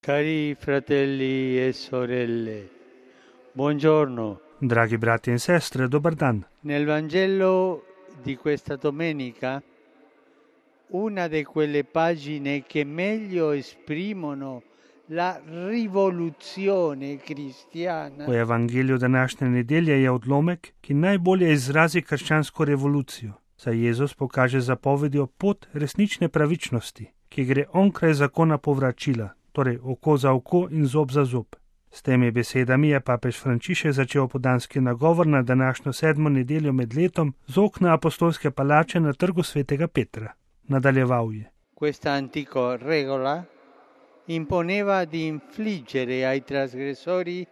Cari fratelli e sorelle, buongiorno. Dragi bratje in sestre, dober dan. Nel Vangelo di questa domenica, una di quelle pagine che meglio esprimono la rivoluzione cristiana V evangeliju današnje nedelje je odlomek, ki najbolje izrazi krščansko revolucijo, saj Jezus pokaže zapovedjo pot resnične pravičnosti, ki gre onkraj zakona povračila, torej oko za oko in zob za zob. S temi besedami je papež Frančišek začel opoldanski nagovor na današnjo 7. nedeljo med letom z okna apostolske palače na trgu svetega Petra. Nadaljeval je. Questa antica regola imponeva di infliggere ai trasgressori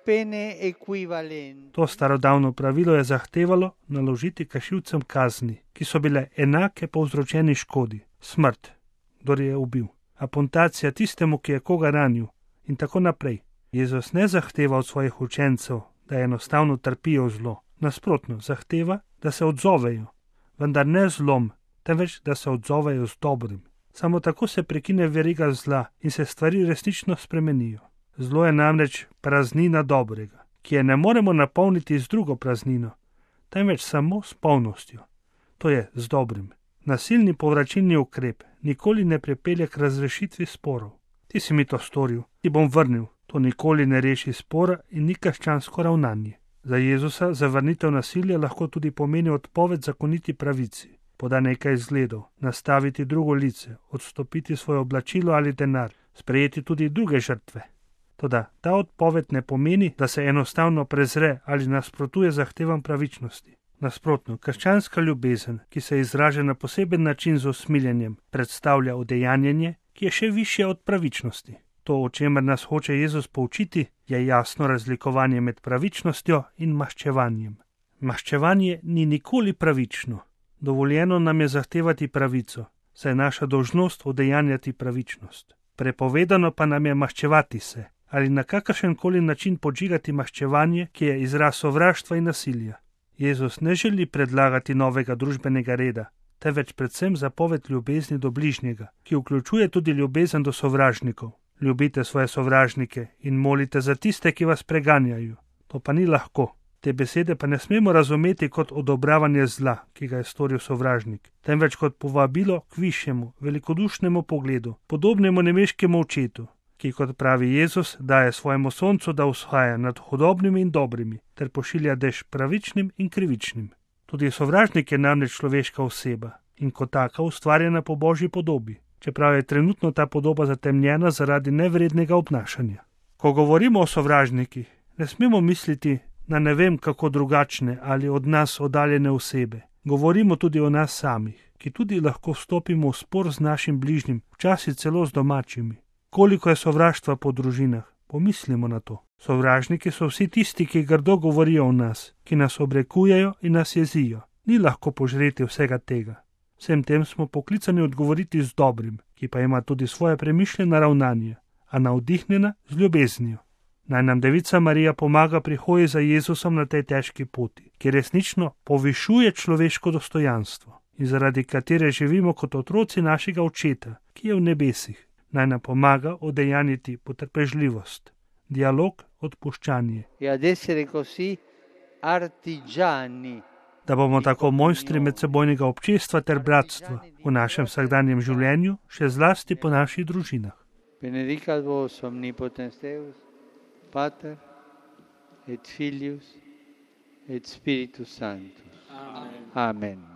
pene equivalenti. To starodavno pravilo je zahtevalo naložiti kršilcem kazni, ki so bile enake povzročeni škodi, smrt, kdor je ubil, apuntacija tistemu, ki je koga ranil in tako naprej. Jezus ne zahteva od svojih učencev, da enostavno trpijo zlo. Nasprotno, zahteva, da se odzovejo, vendar ne zlom, temveč da se odzovejo z dobrim. Samo tako se prekine veriga zla in se stvari resnično spremenijo. Zlo je namreč praznina dobrega, ki je ne moremo napolniti z drugo praznino, temveč samo s polnostjo, to je z dobrim. Nasilni povračilni ukrep nikoli ne pripelje k razrešitvi sporov. Ti si mi to storil, ti bom vrnil. To nikoli ne reši spora in ni krščansko ravnanje. Za Jezusa zavrnitev nasilja lahko tudi pomeni odpoved zakoniti pravici, poda nekaj izgledov, nastaviti drugo lice, odstopiti svoje oblačilo ali denar, sprejeti tudi druge žrtve. Toda ta odpoved ne pomeni, da se enostavno prezre ali nasprotuje zahtevam pravičnosti. Nasprotno, krščanska ljubezen, ki se izraža na poseben način z usmiljenjem, predstavlja udejanjenje, ki je še višje od pravičnosti. To, o čemer nas hoče Jezus poučiti, je jasno razlikovanje med pravičnostjo in maščevanjem. Maščevanje ni nikoli pravično. Dovoljeno nam je zahtevati pravico, saj je naša dolžnost udejanjati pravičnost. Prepovedano pa nam je maščevati se ali na kakršenkoli način podžigati maščevanje, ki je izraz sovraštva in nasilja. Jezus ne želi predlagati novega družbenega reda, temveč predvsem zapoved ljubezni do bližnjega, ki vključuje tudi ljubezen do sovražnikov. Ljubite svoje sovražnike in molite za tiste, ki vas preganjajo. To pa ni lahko. Te besede pa ne smemo razumeti kot odobravanje zla, ki ga je storil sovražnik, temveč kot povabilo k višjemu, velikodušnemu pogledu, podobnemu nemeškemu očetu, ki, kot pravi Jezus, daje svojemu soncu, da vzhaja nad hudobnimi in dobrimi, ter pošilja dež pravičnim in krivičnim. Tudi sovražnik je namreč človeška oseba in kot taka ustvarjena po Božji podobi, čeprav je trenutno ta podoba zatemnjena zaradi nevrednega obnašanja. Ko govorimo o sovražnikih, ne smemo misliti na ne vem kako drugačne ali od nas oddaljene osebe. Govorimo tudi o nas samih, ki tudi lahko vstopimo v spor z našim bližnjim, včasih celo z domačimi. Koliko je sovraštva po družinah, pomislimo na to. Sovražniki so vsi tisti, ki grdo govorijo o nas, ki nas obrekujejo in nas jezijo. Ni lahko požreti vsega tega. Vsem tem smo poklicani odgovoriti z dobrim, ki pa ima tudi svoje premišljeno ravnanje, a navdihnjena z ljubeznijo. Naj nam Devica Marija pomaga pri hoji za Jezusom na tej težki poti, ki resnično povišuje človeško dostojanstvo in zaradi katere živimo kot otroci našega Očeta, ki je v nebesih. Naj nam pomaga udejanjiti potrpežljivost, dialog, odpuščanje. Da bomo tako mojstri medsebojnega občestva ter bratstva v našem vsakdanjem življenju, še zlasti po naših družinah. Benedicat vos omnipotens Deus, Pater et Filius et Spiritus Sanctus. Amen. Amen.